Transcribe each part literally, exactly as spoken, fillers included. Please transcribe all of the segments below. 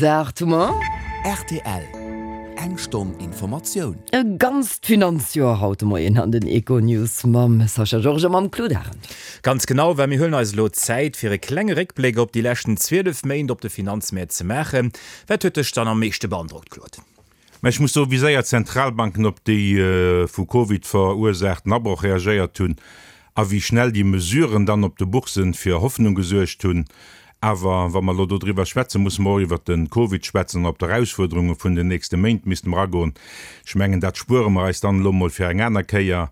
Bis aacht hu mer. Rtl, Eng Stonn Informatioun. E ganzt Finanzjoer haut de Moien an den Econews mam Sascha Georges a mam Claude Arend. Ganz genau, well mir huelen eis elo Zäit, fir e klenge Réckbléck op déi leschten zwielef Méint op de Finanzmäert ze maachen. Wat huet dech dann am meeschte beandrockt, Claude? Mä ech muss soen, wéi séier d'Zentralbanken op déi vu Covid verursaachten Abroch reagéiert hunn a wéi schnell déi Mesuren dann op de Boursen fir Hoffnung gesuergt hunn. Awer wa mer elo dodriwwer schwätzen, musse mer och iwwert de Covid schwätzen an op d'Erausfuerderunge vun den nächste Méint misste mer agoen. Ech mengen, dat spuere mer eis dann elo mol fir eng aner Kéier.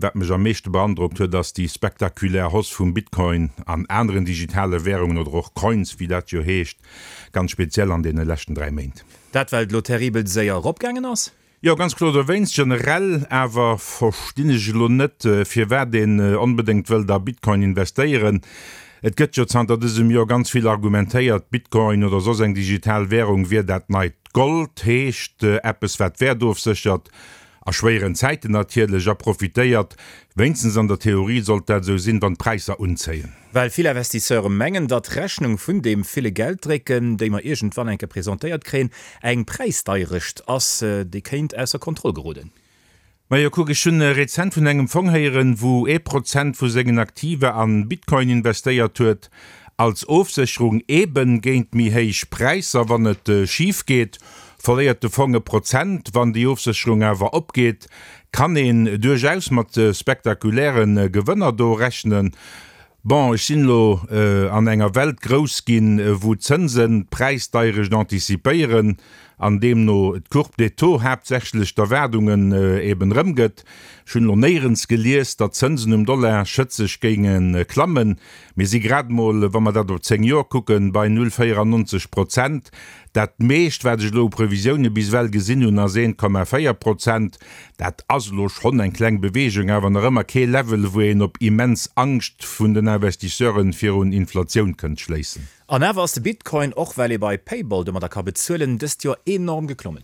Wat mech am meeschte beandrockt huet, ass déi spektakulär Hausse vum Bitcoin an aneren digitale Währungen oder och Coins, wéi dat jo heescht, ganz speziell an deene leschten dräi Méint. Dat well et elo terribel séier eropgaangen ass? Jo, ganz kloer dowéinst. Generell awer verstinn ech elo net, firwat een onbedéngt wëllt a Bitcoin investéieren. Et gëtt jo zanter dësem Joer ganz vill argumentéiert, Bitcoin oder soss eng digital Währung wier dat neit Gold, heescht eppes wat Wäert ofséchert. A schwéieren Zäiten natierlech, a profitéiert, wéinstens an der Theorie sollt dat esou sinn, wann d'Präisser unzéien. Well vill Investisseure mengen, datt d'Rechnung vun deem ville Gelddrécken, déi mer iergendwann eng Kéier presentéiert kréien, eng Präisdeierecht ass, déi kéint ausser Kontroll geroden. Majo, kuck, ech hunn rezent vun engem Fong héieren, wou ee Prozent vu sengen Aktiva an Bitcoin investéiert huet, als Ofsécherung eben géint méi héich Präisser. Wann et schif geet, verléiert de Fong e Prozent. Wann déi Ofsécherung awer opgeet, kann een duerchaus mat spektakuläre Gewënner do rechnen. Bon, ech sinn elo an enger Welt grouss ginn, wou d'Zënsen d'Präisdeierecht antizipéieren an deemno d'Courbe des taux haaptsächlech d'Erwaardungen eben erëmgëtt. Ech hunn elo néierens gelies, datt d'Zënsen um Dollar schëtzeg géinge klammen. Mir si grad emol, wa mer dat op zéng Joer kucken, bei null véierannonzeg Prozent. Dat meescht, wat ech elo u Previsioune bis ewell gesinn hunn, ass eent Komma véier Prozent. Dat ass elo schonn eng kleng Beweegung, awer nach ëmmer kee Level, wou een op immens Angscht vun den Investisseure virun Inflatioun kënnt schléissen. An awer ass de Bitcoin, och well ee bei Payball domadder ka bezuelen, dëst Joer enorm geklommen.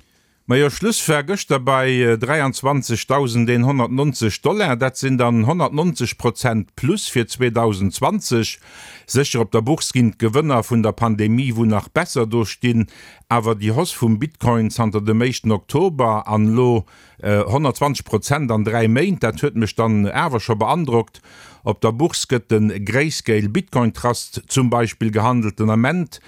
Majo, Schluss war gëschter bei dräianzwanzegdausendeenhonnertnonzeg Dollar. Dat sinn dann honnertnonzeg Prozent Plus fir zweedausendzwanzeg. Sécher, op der Bourse ginn d'Gewënner vun der Pandemie wou nach besser do stinn, awer déi Hausse vum Bitcoin zanter dem éischten Oktober an elo honnertzwanzeg Prozent an dräi Méint, dat huet mech dann awer scho beandrockt. Op der Bourse gëtt de Grayscale Bitcoin Trust zum Beispill gehandelt, den Ament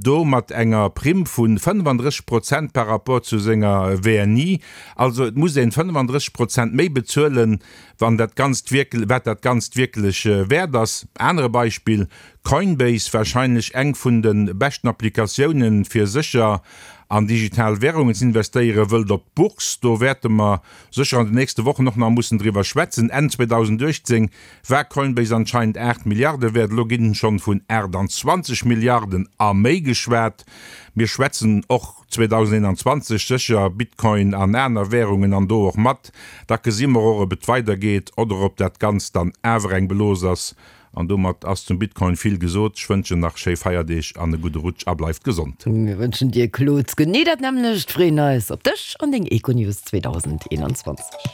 do mat enger Primm vu fënnefandrësseg Prozent par rapport zu senger W N I. Also et muss een fënnefandrësseg Prozent méi bezuelen, wann dat Ganzt wierk wat dat Ganzt wierklech wäert ass. Anere Beispill, Coinbase, warscheinlech eng vun de beschten Applikatiounen fir sécher an digital Währungen ze investéieren, wëllt op d'Bourse. Do wäerte mer sécher an den nächste Wochen och nach mussen driwwer schwätzen. Enn zweedausenduechtzéng war Coinbase anscheinend aacht Milliarde wäert, elo ginn schonn vun aachtanzwanzeg Milliarden a méi geschwat. Mir schwätzen och zweedausendeenanzwanzeg sécher Bitcoin an aner Währungen an do och mat. Da gesi mer och, ob et weidergeet oder ob dat Ganzt dann awer eng Blos ass. An domat ass zum Bitcoin vill gesot. Ech wënschen nach schéi Feierdeeg an e gudde Rutsch a bleift gesond. Mir wënschen dir, Claude, genee dat nämmlecht, freeën eis op dech an deng Econews zweedausendeonzwanzeg.